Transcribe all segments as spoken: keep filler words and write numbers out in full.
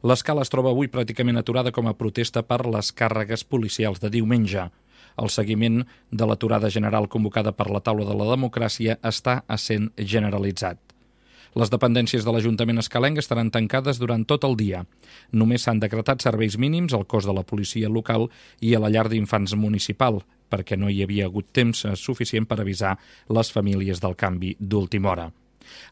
L'escala es troba avui pràcticament aturada com a protesta per les càrregues policials de diumenge. El seguiment de l'aturada general convocada per la Taula de la Democràcia està essent generalitzat. Les dependències de l'Ajuntament escalenc estaran tancades durant tot el dia. Només s'han decretat serveis mínims al cos de la policia local i a la llar d'infants municipal, perquè no hi havia hagut temps suficient per avisar les famílies del canvi d'última hora.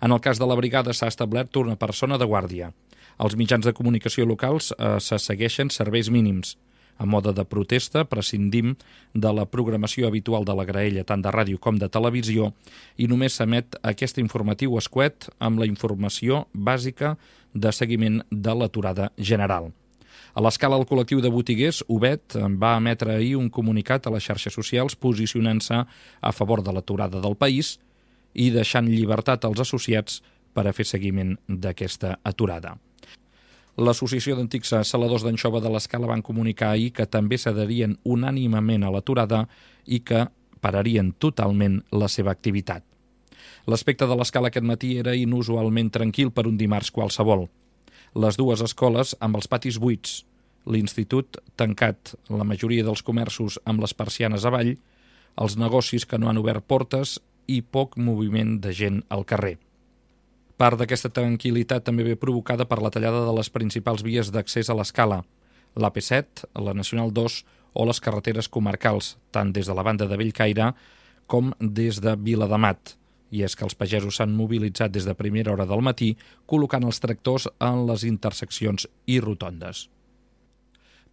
En el cas de la brigada s'ha establert una persona de guàrdia. Els mitjans de comunicació locals eh, se segueixen serveis mínims. A mode de protesta, prescindim de la programació habitual de la graella tant de ràdio com de televisió i només s'emet aquest informatiu escuet amb la informació bàsica de seguiment de l'aturada general. A l'escala, el col·lectiu de botiguers, Ubet, va emetre ahir un comunicat a les xarxes socials posicionant-se a favor de l'aturada del país i deixant llibertat als associats per a fer seguiment d'aquesta aturada. L'Associació d'Antics Saladors d'Anxova de l'Escala van comunicar ahir que també s'adherien unànimement a l'aturada i que pararien totalment la seva activitat. L'aspecte de l'Escala aquest matí era inusualment tranquil per un dimarts qualsevol. Les dues escoles amb els patis buits, l'institut tancat, la majoria dels comerços amb les persianes avall, els negocis que no han obert portes i poc moviment de gent al carrer. Part d'aquesta tranquil·litat també ve provocada per la tallada de les principals vies d'accés a l'Escala, l'A P set, la Nacional dos o les carreteres comarcals, tant des de la banda de Bellcaire com des de Viladamat. I és que els pagesos s'han mobilitzat des de primera hora del matí, col·locant els tractors en les interseccions i rotondes.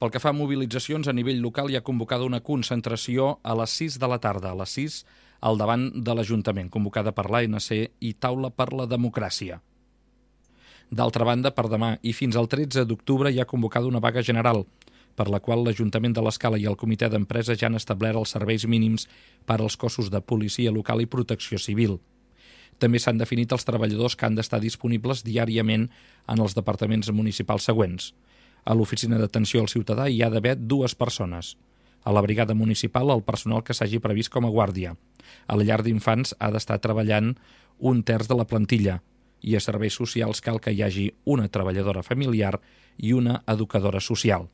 Pel que fa a mobilitzacions, a nivell local hi ha convocada una concentració a les sis de la tarda, a les sis al davant de l'Ajuntament, convocada per l'A N C i Taula per la Democràcia. D'altra banda, per demà i fins al tretze d'octubre hi ha convocada una vaga general, per la qual l'Ajuntament de l'Escala i el Comitè d'Empresa ja han establert els serveis mínims per als cossos de policia local i protecció civil. També s'han definit els treballadors que han d'estar disponibles diàriament en els departaments municipals següents. A l'oficina d'atenció al ciutadà hi ha d'haver dues persones. A la brigada municipal, el personal que s'hagi previst com a guàrdia. A la llar d'infants ha d'estar treballant un terç de la plantilla i a serveis socials cal que hi hagi una treballadora familiar i una educadora social.